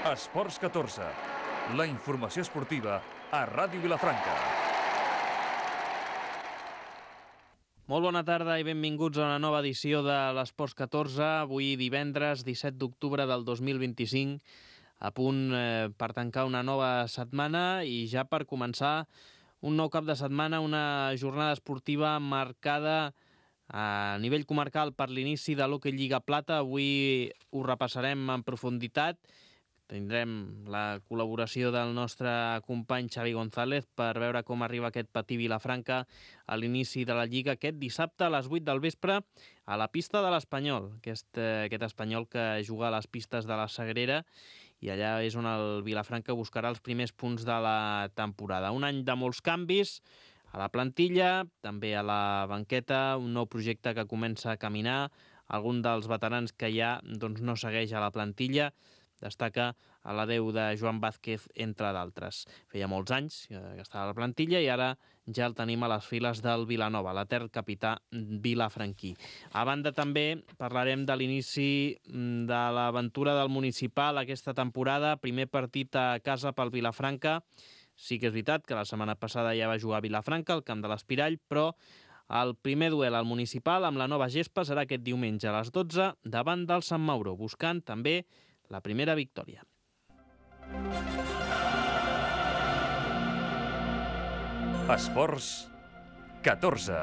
Esports 14, la informació esportiva a Ràdio Vilafranca. Molt bona tarda i benvinguts a una nova edició de l'Esports 14, avui divendres 17 d'octubre del 2025, a punt per tancar una nova setmana i ja per començar un nou cap de setmana, una jornada esportiva marcada a nivell comarcal per l'inici de l'Hockey Lliga Plata. Avui ho repassarem en profunditat. Tindrem la col·laboració del nostre company Xavi González per veure com arriba aquest Patí Vilafranca a l'inici de la Lliga aquest dissabte a les 8 del vespre a la pista de l'Espanyol, aquest Espanyol que juga a les pistes de la Sagrera, i allà és on el Vilafranca buscarà els primers punts de la temporada. Un any de molts canvis a la plantilla, també a la banqueta, un nou projecte que comença a caminar, algun dels veterans que ja no segueix a la plantilla. Destaca a l'adeu de Joan Vázquez, entre d'altres. Feia molts anys que estava a la plantilla i ara ja el tenim a les files del Vilanova, l'etern capità vilafranquí. A banda també parlarem de l'inici de l'aventura del municipal aquesta temporada, primer partit a casa pel Vilafranca. Sí que és veritat que la setmana passada ja va jugar a Vilafranca, al camp de l'Espirall, però el primer duel al municipal amb la nova gespa serà aquest diumenge a les 12 davant del Sant Mauro, buscant també la primera victòria. Esports 14.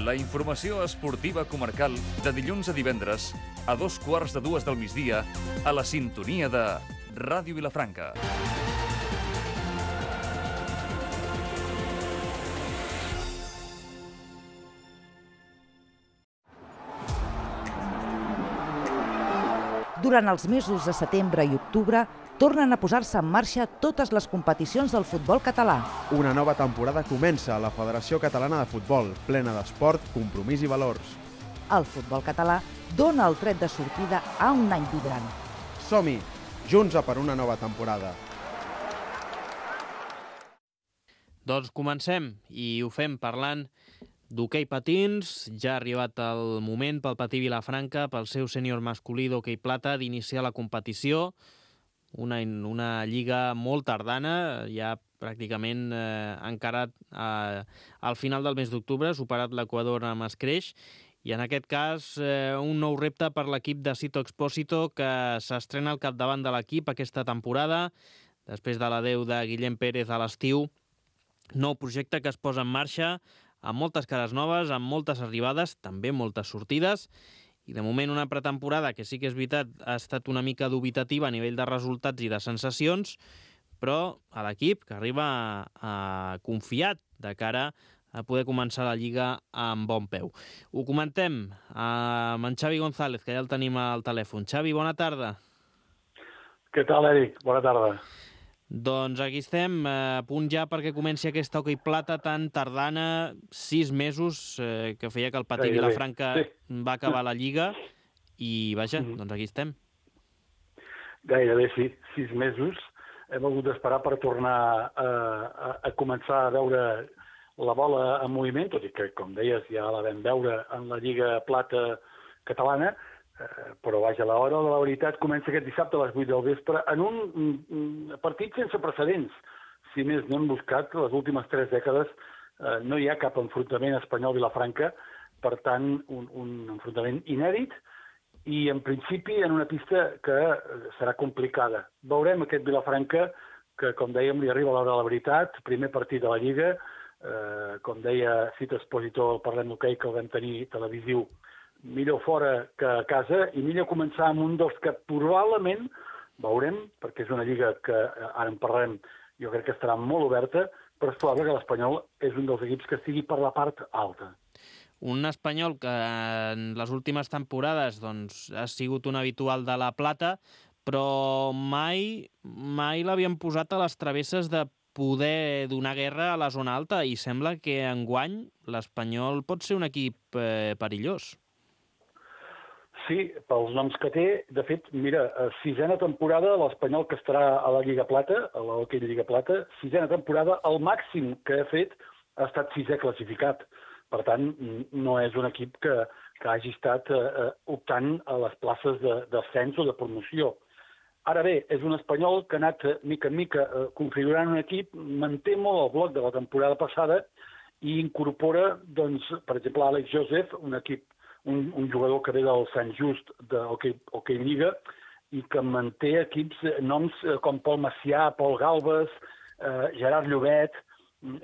La informació esportiva comarcal de dilluns a divendres a 2:15 del migdia a la sintonia de Ràdio Vilafranca. Durant els mesos de setembre i octubre, tornen a posar-se en marxa totes les competicions del futbol català. Una nova temporada comença a la Federació Catalana de Futbol, plena d'esport, compromís i valors. El futbol català dona el tret de sortida a un any vibrant. Som-hi, junts a per una nova temporada. Doncs comencem i ho fem parlant d'hoquei patins. Ja ha arribat el moment pel Patí Vilafranca, pel seu sènior masculí d'hoquei plata, d'iniciar la competició. Una lliga molt tardana, ja pràcticament encarat al final del mes d'octubre, superat l'Equador amb escreix, i en aquest cas un nou repte per l'equip de Sito Expósito, que s'estrena al capdavant de l'equip aquesta temporada, després de l'adeu de Guillem Pérez a l'estiu. Nou projecte que es posa en marxa, amb moltes cares noves, amb moltes arribades, també moltes sortides, i de moment una pretemporada que sí que és veritat ha estat una mica dubitativa a nivell de resultats i de sensacions, però a l'equip que arriba confiat de cara a poder començar la Lliga amb bon peu. Ho comentem amb en Xavi González, que ja el tenim al telèfon. Xavi, bona tarda. Què tal, Eric? Bona tarda. Doncs aquí estem, a punt ja perquè comenci aquesta hoquei plata tan tardana, 6 mesos que feia que el Patí Vilafranca va acabar la Lliga, i vaja, doncs aquí estem. Gairebé sí, 6 mesos. Hem hagut d'esperar per tornar a començar a veure la bola en moviment, tot i que, com deies, ja la vam veure en la Lliga Plata catalana, però vaja, l'hora de la veritat comença aquest dissabte a les 8 del vespre en un partit sense precedents. Si més no hem buscat, les últimes 3 dècades no hi ha cap enfrontament Espanyol-Vilafranca, per tant, un enfrontament inèdit i, en principi, en una pista que serà complicada. Veurem aquest Vilafranca que, com dèiem, li arriba l'hora de la veritat, primer partit de la Lliga, com deia Sito Expósito, el Parlem d'Hoquei, que el vam tenir televisiu, millor fora que a casa, i millor començar amb un dels que probablement veurem, perquè és una lliga que ara en parlarem, jo crec que estarà molt oberta, però és probable que l'Espanyol és un dels equips que estigui per la part alta. Un Espanyol que en les últimes temporades ha sigut un habitual de la plata, però mai l'havien posat a les travesses de poder donar guerra a la zona alta, i sembla que enguany l'Espanyol pot ser un equip perillós. Sí, pels noms que té. De fet, mira, 6a temporada, l'Espanyol que estarà a la Lliga Plata, a l'Hockey Lliga Plata, 6a temporada, el màxim que ha fet ha estat 6è classificat. Per tant, no és un equip que hagi estat optant a les places d'ascens o de promoció. Ara bé, és un Espanyol que ha anat mica en mica configurant un equip, manté molt el bloc de la temporada passada i incorpora, doncs, per exemple, Àlex Joseph, un jugador que ve del Sant Just de Hockey Lliga i que manté noms com Pol Macià, Pol Galbes, Gerard Llobet,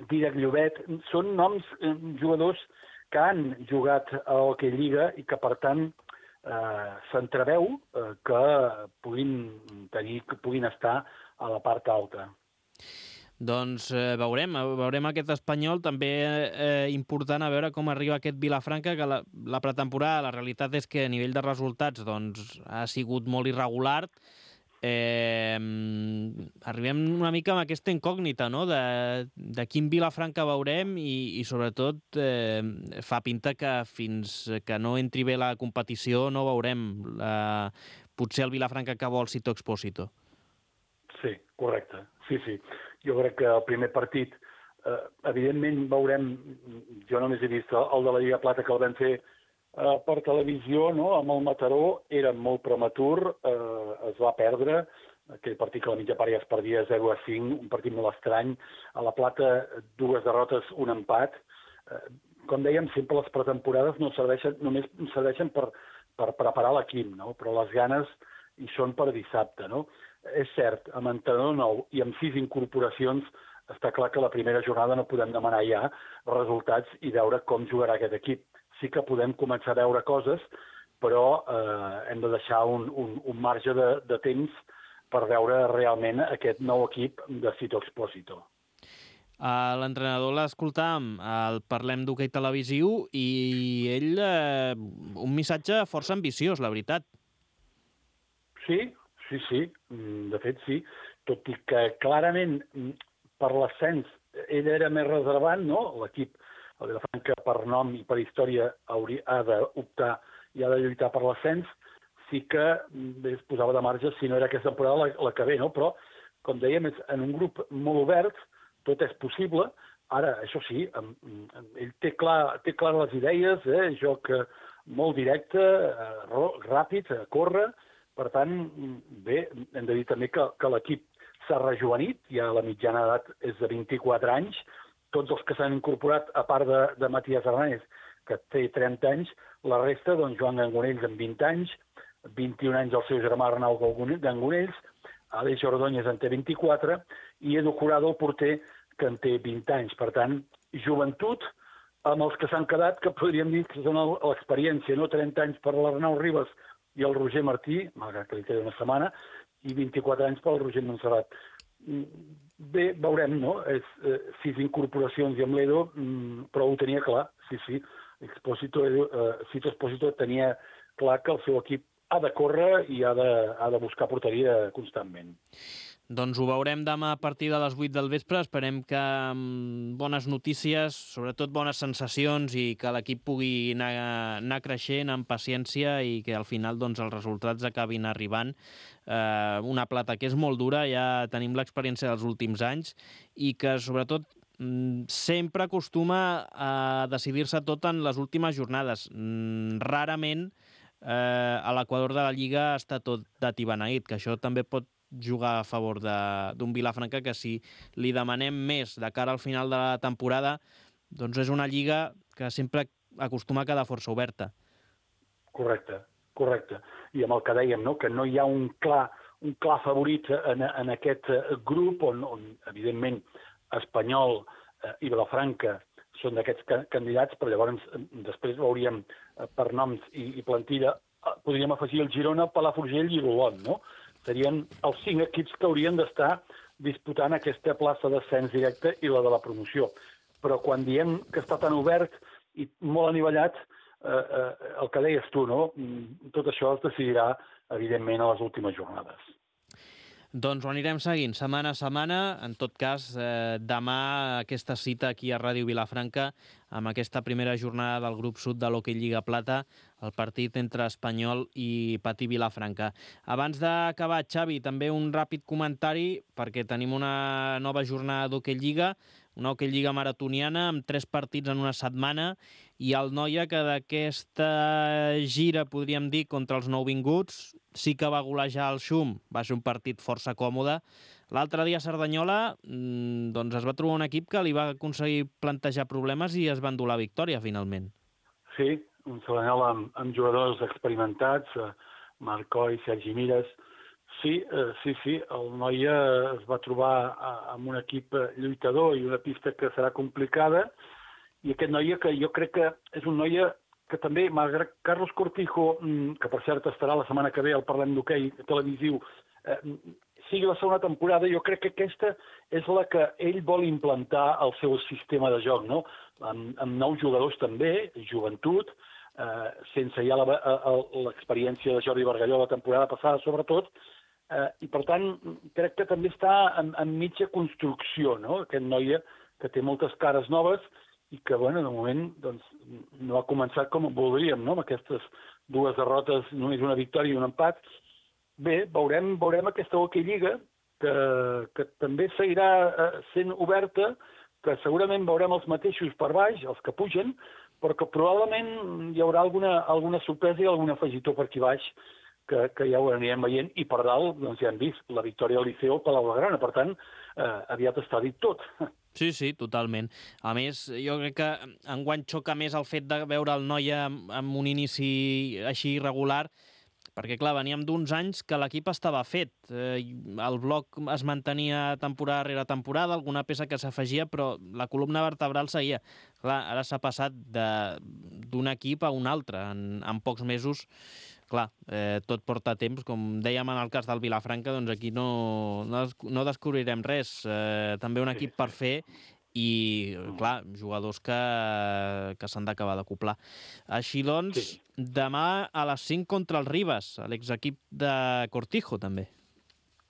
Dídac Llobet. Són noms, jugadors que han jugat a Hockey Lliga i que, per tant, s'entreveu que puguin estar a la part alta. Doncs veurem aquest Espanyol, també important a veure com arriba aquest Vilafranca, que la pretemporada, la realitat és que a nivell de resultats doncs, ha sigut molt irregular. Arribem una mica amb aquesta incògnita, no?, de quin Vilafranca veurem i sobretot fa pinta que fins que no entri bé la competició no veurem potser el Vilafranca que vol Sito Expósito. Sí, correcte. Sí. Jo crec que el primer partit, evidentment veurem, jo només he vist el de la Lliga Plata que el vam fer per televisió, no?, amb el Mataró, era molt prematur, es va perdre, aquell partit que a la mitja part ja es perdia 0-5, un partit molt estrany. A la Plata, 2 derrotes, un empat. Com dèiem, sempre les pretemporades només serveixen per preparar l'equip, no?, però les ganes hi són per dissabte, no? És cert, amb entrenador nou i amb 6 incorporacions, està clar que la primera jornada no podem demanar ja resultats i veure com jugarà aquest equip. Sí que podem començar a veure coses, però hem de deixar un marge de temps per veure realment aquest nou equip de Sito Expósito. L'entrenador l'escoltàvem, el Parlem d'Hoquei Televisiu, i ell, un missatge força ambiciós, la veritat. Sí, de fet sí, tot i que clarament per l'ascens ell era més reservant, no? L'equip, el Vilafranca, per nom i per història, ha d'optar i ha de lluitar per l'ascens, sí que es posava de marge si no era aquesta temporada la que ve, no? Però, com dèiem, és en un grup molt obert, tot és possible. Ara, això sí, ell té clar les idees, joc molt directe, ràpid, corre. Per tant, bé, hem de dir també que l'equip s'ha rejovenit, ja la mitjana edat és de 24 anys, tots els que s'han incorporat, a part de Matías Hernández, que té 30 anys, la resta, doncs, Joan Gangonells amb 20 anys, 21 anys el seu germà Arnau Gangonells, Aleix Ordóñez en té 24, i Edu Jurado, el porter, que en té 20 anys. Per tant, joventut, amb els que s'han quedat, que podríem dir que són l'experiència, no? 30 anys per l'Arnau Ribas i el Roger Martí, malgrat que li queda una setmana, i 24 anys pel Roger Montserrat. Bé, veurem, no? 6 incorporacions i amb l'Edo, però ho tenia clar, sí. Sito Expósito tenia clar que el seu equip ha de córrer i ha de buscar porteria constantment. Doncs ho veurem demà a partir de les 8 del vespre. Esperem que amb bones notícies, sobretot bones sensacions, i que l'equip pugui anar creixent amb paciència i que al final doncs, els resultats acabin arribant. Una Plata que és molt dura, ja tenim l'experiència dels últims anys, i que sobretot sempre acostuma a decidir-se tot en les últimes jornades. Rarament a l'equador de la Lliga està tot d'atibeneït, que això també pot jugar a favor d'un Vilafranca que si li demanem més de cara al final de la temporada, doncs és una lliga que sempre acostuma a quedar força oberta. Correcte. I amb el que dèiem, no? Que no hi ha un clar favorit en aquest grup on evidentment, Espanyol i Vilafranca són d'aquests candidats, però llavors després veuríem per noms i plantilla, podríem afegir el Girona, Palafrugell i l'Olot, no? Serien els 5 equips que haurien d'estar disputant aquesta plaça d'ascens directe i la de la promoció. Però quan diem que està tan obert i molt anivellat, el que deies tu, no? Tot això es decidirà, evidentment, a les últimes jornades. Doncs ho anirem seguint setmana a setmana. En tot cas, demà aquesta cita aquí a Ràdio Vilafranca amb aquesta primera jornada del grup sud de l'Hockey Lliga Plata, el partit entre Espanyol i Patí Vilafranca. Abans d'acabar, Xavi, també un ràpid comentari, perquè tenim una nova jornada d'Hockey Lliga, una hoquei lliga maratoniana amb 3 partits en una setmana, i el Noia, que d'aquesta gira, podríem dir, contra els nouvinguts, sí que va golejar el Xum, va ser un partit força còmode. L'altre dia a Cerdanyola doncs es va trobar un equip que li va aconseguir plantejar problemes i es va endur la victòria, finalment. Sí, un Cerdanyola amb jugadors experimentats, Marc Coll, Sergi Mires. Sí, el Noia es va trobar amb un equip lluitador i una pista que serà complicada, i aquest Noia que jo crec que és un Noia que també, malgrat Carlos Cortijo, que per cert estarà la setmana que ve al Parlem d'Hoquei televisiu, sigui la segona temporada, jo crec que aquesta és la que ell vol implantar al seu sistema de joc, no? Amb nous jugadors també, joventut, sense ja l'experiència de Jordi Bargalló la temporada passada, sobretot, i per tant crec que també està en mitja construcció, no? Aquest Noia que té moltes cares noves i que, bueno, de moment doncs, no ha començat com voldríem, no? Amb aquestes 2 derrotes, només una victòria i un empat. Bé, veurem aquesta hoquei lliga, que també seguirà sent oberta, que segurament veurem els mateixos per baix, els que pugen, però que probablement hi haurà alguna sorpresa i algun afegitó per aquí baix, que ja ho anirem veient, i per dalt doncs ja hem vist la victòria del Liceo al Palau Blaugrana, per tant, aviat està dit tot. Sí, totalment. A més, jo crec que enguany xoca més el fet de veure el Noia amb un inici així irregular, perquè, clar, veníem d'uns anys que l'equip estava fet. El bloc es mantenia temporada rere temporada, alguna peça que s'afegia, però la columna vertebral seguia. Clar, ara s'ha passat d'un equip a un altre en pocs mesos. Clar, tot porta temps, com dèiem en el cas del Vilafranca, doncs aquí no descobrirem res. També un equip per fer i, clar, jugadors que s'han d'acabar d'acoplar. Així doncs, demà a les 5 contra el Ribas, l'exequip de Cortijo, també.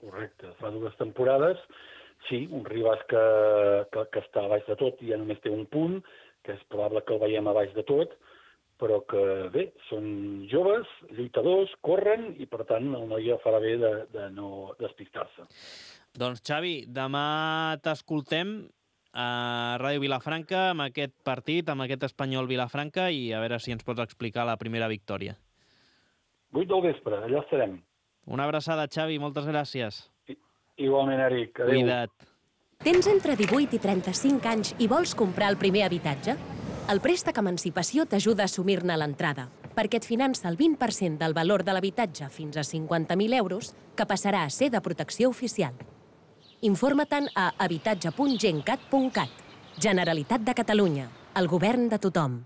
Correcte, fa 2 temporades. Sí, un Ribas que està a baix de tot i ja només té un punt, que és probable que el veiem a baix de tot, però que, bé, són joves, lluitadors, corren, i, per tant, el Noia farà bé de no despistar-se. Doncs, Xavi, demà t'escoltem a Ràdio Vilafranca amb aquest partit, amb aquest Espanyol Vilafranca, i a veure si ens pots explicar la primera victòria. 8 del vespre, allà estarem. Una abraçada, Xavi, moltes gràcies. Igualment, Eric. Adéu. Cuida't. Tens entre 18 i 35 anys i vols comprar el primer habitatge? El préstec Emancipació t'ajuda a assumir-ne l'entrada, perquè et finança el 20% del valor de l'habitatge fins a 50.000 euros, que passarà a ser de protecció oficial. Informa-te'n a habitatge.gencat.cat. Generalitat de Catalunya, el govern de tothom.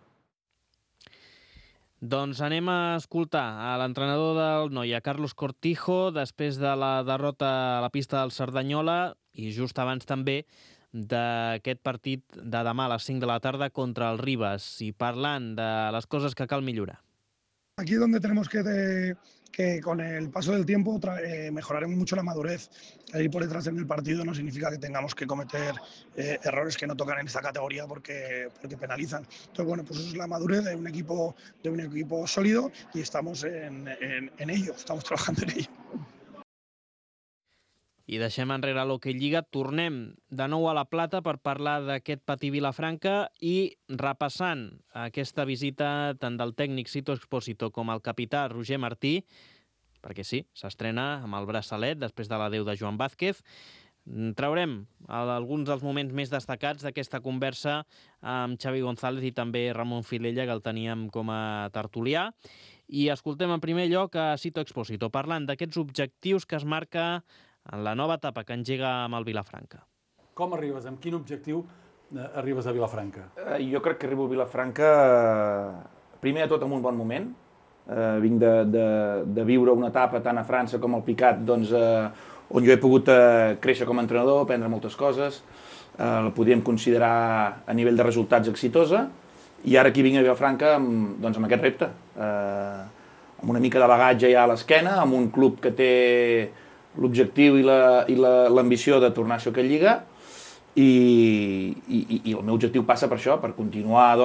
Doncs anem a escoltar a l'entrenador del Noia, Carlos Cortijo, després de la derrota a la pista del Cerdanyola i just abans també d'aquest partit de demà a les 5 de la tarda contra el Ribas, i parlant de les coses que cal millorar. Aquí es donde tenemos que con el paso del tiempo mejoraremos mucho la madurez. El ir por detrás en el partido no significa que tengamos que cometer errores que no tocan en esta categoría porque penalizan. Entonces, bueno, pues eso es la madurez de un equipo sólido y estamos en ello, estamos trabajando en ello. I deixem enrere l'Hoquei Lliga, tornem de nou a la Plata per parlar d'aquest Patí Vilafranca i repassant aquesta visita tant del tècnic Sito Expósito com el capità Roger Martí, perquè sí, s'estrena amb el braçalet després de l'adeu de Joan Vázquez. Traurem alguns dels moments més destacats d'aquesta conversa amb Xavi González i també Ramon Filella, que el teníem com a tertulià. I escoltem en primer lloc a Sito Expósito, parlant d'aquests objectius que es marca en la nova etapa que engega amb el Vilafranca. Com arribes? Amb quin objectiu arribes a Vilafranca? Jo crec que arribo a Vilafranca, primer de tot, en un bon moment. Vinc de viure una etapa tant a França com al Picat, doncs, on jo he pogut créixer com a entrenador, aprendre moltes coses, la podríem considerar a nivell de resultats exitosa, i ara aquí vinc a Vilafranca amb aquest repte, amb una mica de bagatge ja a l'esquena, amb un club que té l'objectiu i l'ambició de tornar a ser a Lliga, i el meu objectiu passa per això, per continuar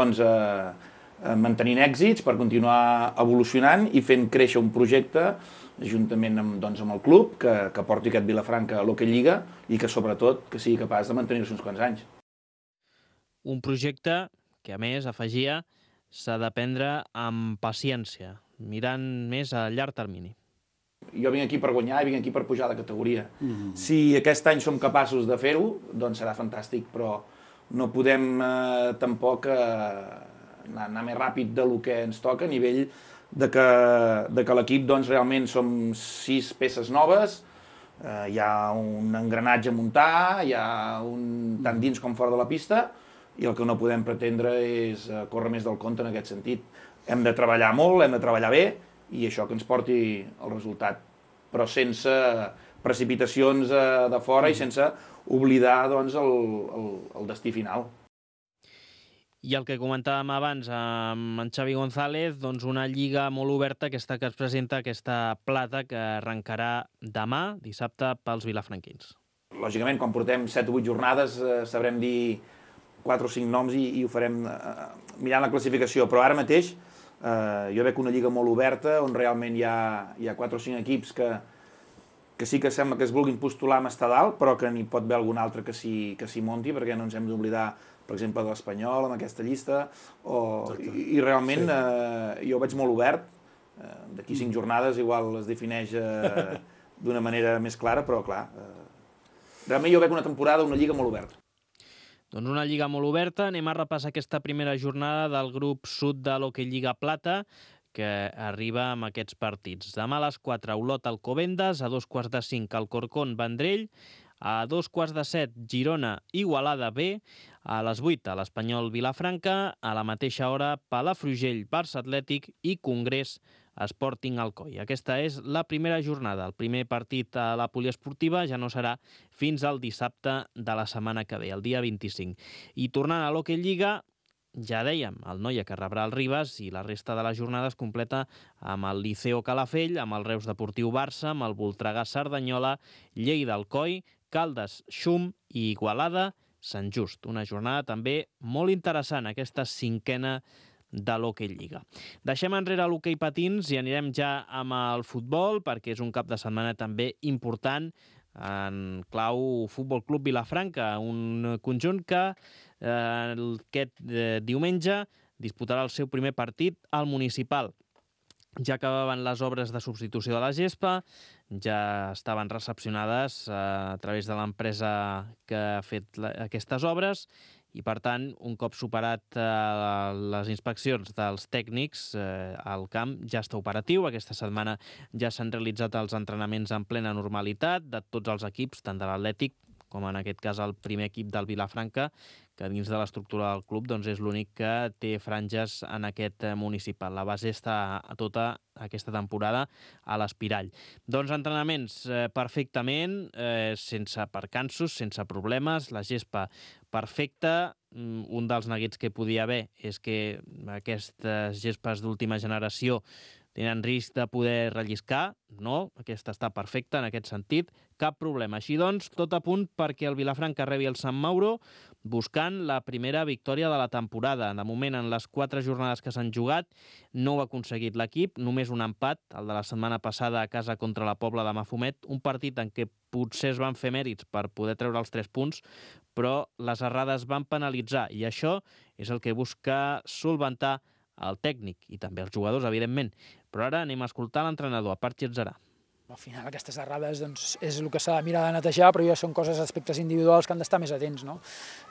mantenint èxits, per continuar evolucionant i fent créixer un projecte juntament amb el club que porti aquest Vilafranca a l'Hoquei Lliga i que sobretot que sigui capaç de mantenir-se uns quants anys. un projecte que, a més, afegia, s'ha de prendre amb paciència, mirant més a llarg termini. Jo vinc aquí per guanyar i vinc aquí per pujar de categoria. Si aquest any som capaços de fer-ho, doncs serà fantàstic, però no podem tampoc anar més ràpid del que ens toca a nivell de que l'equip doncs, realment som 6 peces noves, hi ha un engranatge a muntar, hi ha tant dins com fora de la pista, i el que no podem pretendre és córrer més del compte en aquest sentit. Hem de treballar molt, hem de treballar bé, i això que ens porti el resultat, però sense precipitacions de fora i sense oblidar doncs, el destí final. I el que comentàvem abans amb en Xavi González, doncs una lliga molt oberta, aquesta que es presenta, aquesta plata que arrencarà demà, dissabte, pels vilafranquins. Lògicament, quan portem 7 o 8 jornades sabrem dir 4 o 5 noms i ho farem mirant la classificació, però ara mateix jo veig una lliga molt oberta on realment hi ha 4 o 5 equips que sí que sembla que es vulguin postular amb estar dalt, però que n'hi pot haver algun altre que s'hi monti, perquè no ens hem d'oblidar, per exemple, de l'Espanyol amb aquesta llista, i realment jo ho veig molt obert. D'aquí 5 jornades igual es defineix d'una manera més clara, però clar, realment jo veig una temporada, una lliga molt oberta. Doncs una lliga molt oberta. Anem a repassar aquesta primera jornada del grup sud de l'Hockey Lliga Plata, que arriba amb aquests partits. Demà a les 4, Olot Alcobendas, a 2:45 Alcorcón Vendrell, a 2:15 Girona Igualada B, a les 8 a l'Espanyol Vilafranca, a la mateixa hora Palafrugell Barça Atlètic i Congrés Sporting Alcoi. Aquesta és la primera jornada. El primer partit a la poliesportiva ja no serà fins al dissabte de la setmana que ve, el dia 25. I tornant a l'Hockey Lliga, ja dèiem, el Noia que rebrà el Ribas i la resta de la jornada es completa amb el Liceo Calafell, amb el Reus Deportiu Barça, amb el Voltregà Cerdanyola, Lleida Alcoi, Caldes Xum i Igualada Sant Just. Una jornada també molt interessant, aquesta 5a de l'Hockey Lliga. Deixem enrere l'hoquei patins i anirem ja amb el futbol, perquè és un cap de setmana també important en clau Futbol Club Vilafranca, un conjunt que aquest diumenge disputarà el seu primer partit al municipal. Ja acabaven les obres de substitució de la gespa, ja estaven recepcionades a través de l'empresa que ha fet aquestes obres i, per tant, un cop superat les inspeccions dels tècnics, el camp ja està operatiu. Aquesta setmana ja s'han realitzat els entrenaments en plena normalitat de tots els equips, tant de l'Atlètic com en aquest cas el primer equip del Vilafranca, que dins de l'estructura del club doncs és l'únic que té franges en aquest municipal. La base està tota aquesta temporada a l'Espirall. Doncs entrenaments perfectament, sense percansos, sense problemes, la gespa perfecta. Un dels neguits que podia haver és que aquestes gespes d'última generació tenen risc de poder relliscar. No, aquesta està perfecta en aquest sentit, cap problema. Així doncs, tot a punt perquè el Vilafranca rebi el Sant Mauro buscant la primera victòria de la temporada. De moment, en les 4 jornades que s'han jugat, no ho ha aconseguit l'equip, només un empat, el de la setmana passada a casa contra la Pobla de Mafumet, un partit en què potser es van fer mèrits per poder treure els 3 punts, però les errades van penalitzar, i això és el que busca solventar el tècnic i també els jugadors, evidentment. Però ara anem a escoltar l'entrenador, a part Getzarà. Al final aquestes errades doncs, és el que s'ha de mirar de netejar, però ja són coses, aspectes individuals que han d'estar més atents. No?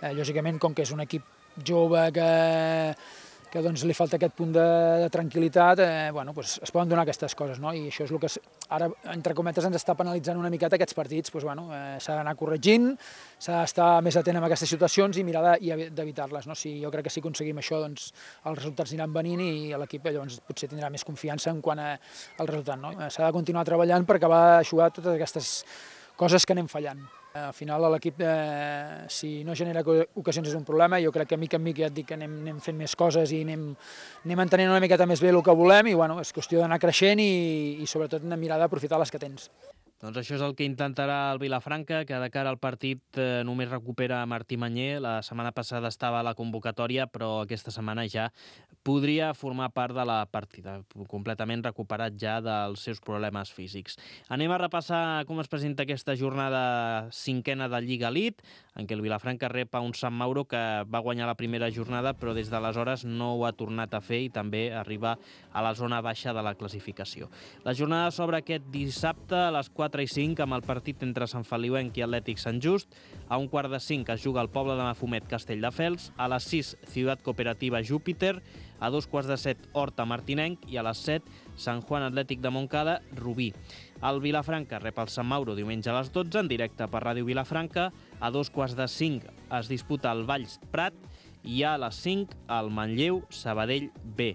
Lògicament, com que és un equip jove que doncs, li falta aquest punt de tranquil·litat, doncs, es poden donar aquestes coses. No? I això és el que ara, entre cometes, ens està penalitzant una miqueta aquests partits. S'ha d'anar corregint, s'ha d'estar més atent amb aquestes situacions i mirar d'evitar-les. No? Jo crec que si aconseguim això, doncs, els resultats aniran venint i l'equip llavors potser tindrà més confiança en quant al resultat. No? S'ha de continuar treballant per acabar d'aixugar totes aquestes coses que anem fallant. Al final l'equip, si no genera ocasions és un problema. Jo crec que mica en mica ja et dic que anem fent més coses i anem entenent una miqueta més bé el que volem i és qüestió d'anar creixent i sobretot mirar d'aprofitar les que tens. Doncs això és el que intentarà el Vilafranca, que de cara al partit només recupera Martí Mañé. La setmana passada estava a la convocatòria, però aquesta setmana ja podria formar part de la partida, completament recuperat ja dels seus problemes físics. Anem a repassar com es presenta aquesta jornada cinquena de Lliga Elite, en què el Vilafranca rep a un Sant Mauro que va guanyar la primera jornada, però des d'aleshores no ho ha tornat a fer i també arriba a la zona baixa de la classificació. La jornada s'obre aquest dissabte a les 4:05 amb el partit entre Sant Feliuenc i Atlètic Sant Just. A 4:45 es juga al poble de Mafumet, Castelldefels. A les 6, Ciutat Cooperativa Júpiter. A 2:15, Horta Martinenc. I a les 7, Sant Juan Atlètic de Montcada, Rubí. El Vilafranca rep el Sant Mauro diumenge a les 12 en directe per Ràdio Vilafranca. A 2:45 es disputa el Valls Prat i a les 5 el Manlleu Sabadell B.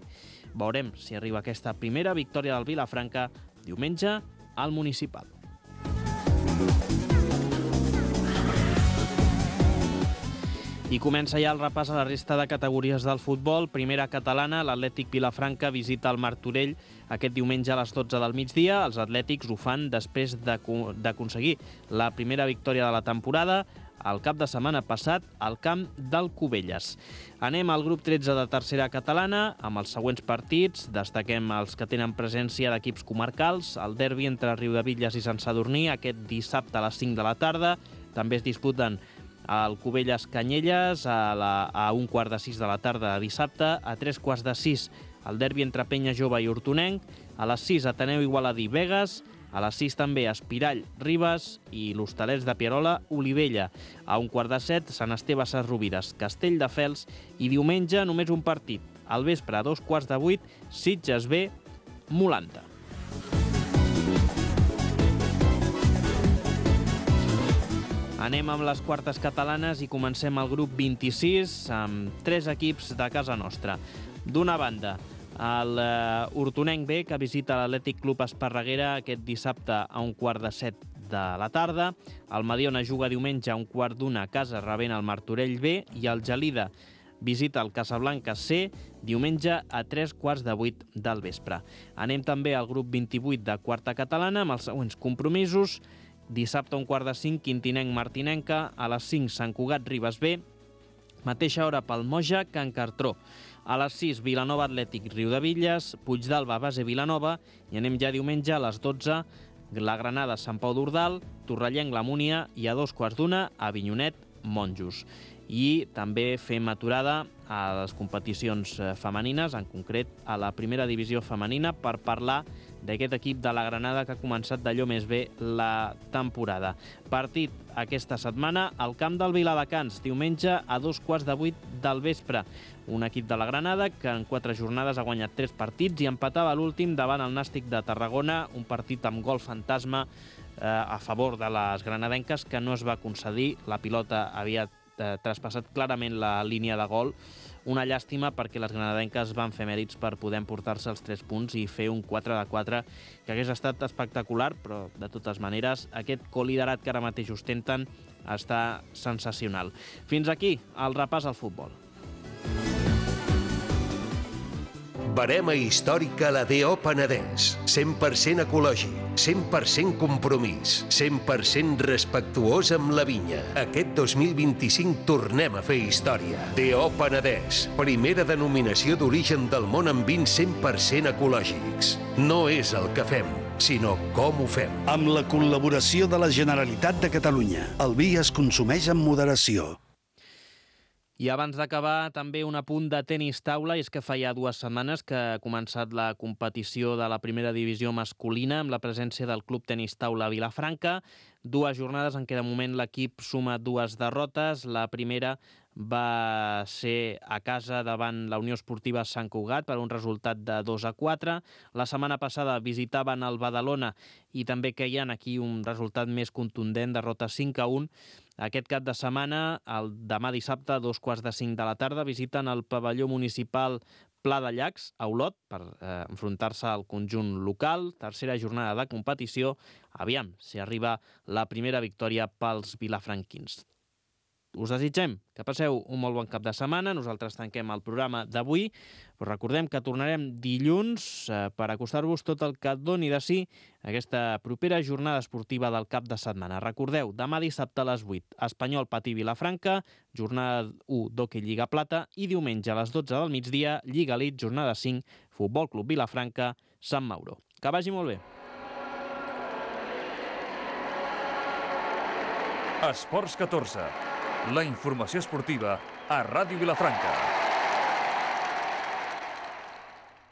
Veurem si arriba aquesta primera victòria del Vilafranca diumenge al Municipal. I comença ja el repàs a la resta de categories del futbol. Primera catalana, l'Atlètic Vilafranca visita el Martorell aquest diumenge a les 12 del migdia. Els atlètics ho fan després d'aconseguir la primera victòria de la temporada el cap de setmana passat al camp del Cubelles. Anem al grup 13 de tercera catalana amb els següents partits. Destaquem els que tenen presència d'equips comarcals. El derbi entre Riudebitlles i Sant Sadurní aquest dissabte a les 5 de la tarda. També es disputen el Cubelles Canyelles a 5:45 de la tarda de dissabte. A 3:15 el derbi entre Penya Jove i Hortonenc. A les 6 Ateneu Igualadí Begues. A les 6 també Espirall Ribes i l'Hostalets de Pierola Olivella. A 1:15 Sant Esteve Ses Rovires Castelldefels. I diumenge només un partit. Al vespre a 7:15 Sitges B Molanta. Anem amb les quartes catalanes i comencem el grup 26 amb 3 equips de casa nostra. D'una banda, el Hortonenc B, que visita l'Atlètic Club Esparreguera aquest dissabte a 7:15 de la tarda. El Mediona juga diumenge a 1:15 a casa rebent el Martorell B i el Gelida visita el Casablanca C diumenge a 7:15 del vespre. Anem també al grup 28 de quarta catalana amb els següents compromisos. Dissabte a 4:45 Quintinenc Martinenca, a les 5 Sant Cugat Ribes B, mateixa hora pel Moja Can Cartró. A les 6 Vilanova Atlètic Riudebitlles, Puigdàlber Base Vilanova i anem ja diumenge a les 12 la Granada Sant Pau d'Ordal, Torrellenc La Múnia i a 2:15 Avinyonet Monjos. I també fem aturada a les competicions femenines, en concret a la primera divisió femenina, per parlar d'aquest equip de la Granada que ha començat d'allò més bé la temporada. Partit aquesta setmana al camp del Viladecans, diumenge a 2:15 del vespre. Un equip de la Granada que en 4 jornades ha guanyat 3 partits i empatava l'últim davant el Nàstic de Tarragona, un partit amb gol fantasma a favor de les granadenques que no es va concedir. La pilota havia traspassat clarament la línia de gol. Una llàstima perquè les granadenques van fer mèrits per poder emportar-se els 3 punts i fer un 4-4 que hagués estat espectacular, però de totes maneres aquest coliderat que ara mateix ostenten està sensacional. Fins aquí el repàs al futbol. Barema històrica a la DO Penedès. 100% ecològic, 100% compromís, 100% respectuós amb la vinya. Aquest 2025 tornem a fer història. DO Penedès, primera denominació d'origen del món amb vins 100% ecològics. No és el que fem, sinó com ho fem. Amb la col·laboració de la Generalitat de Catalunya, el vi es consumeix amb moderació. I abans d'acabar, també un apunt de tenis taula, i és que fa ja 2 setmanes que ha començat la competició de la primera divisió masculina amb la presència del Club Tenis Taula Vilafranca. 2 jornades en què de moment l'equip suma 2 derrotes. La primera va ser a casa davant la Unió Esportiva Sant Cugat per un resultat de 2-4. La setmana passada visitaven el Badalona i també queien aquí un resultat més contundent, derrota 5-1. Aquest cap de setmana, demà dissabte, a 2:15 de la tarda, visiten el pavelló municipal Pla de Llacs, a Olot, per enfrontar-se al conjunt local. Tercera jornada de competició. Aviam si arriba la primera victòria pels vilafranquins. Us desitgem que passeu un molt bon cap de setmana. Nosaltres tanquem el programa d'avui, però recordem que tornarem dilluns per acostar-vos tot el que doni de si aquesta propera jornada esportiva del cap de setmana. Recordeu, demà dissabte a les 8, Espanyol Patí Vilafranca, jornada 1 d'Hockey Lliga Plata, i diumenge a les 12 del migdia, Lliga Elite, jornada 5, Futbol Club Vilafranca, Sant Mauro. Que vagi molt bé. Esports 14. La informació esportiva a Ràdio Vilafranca.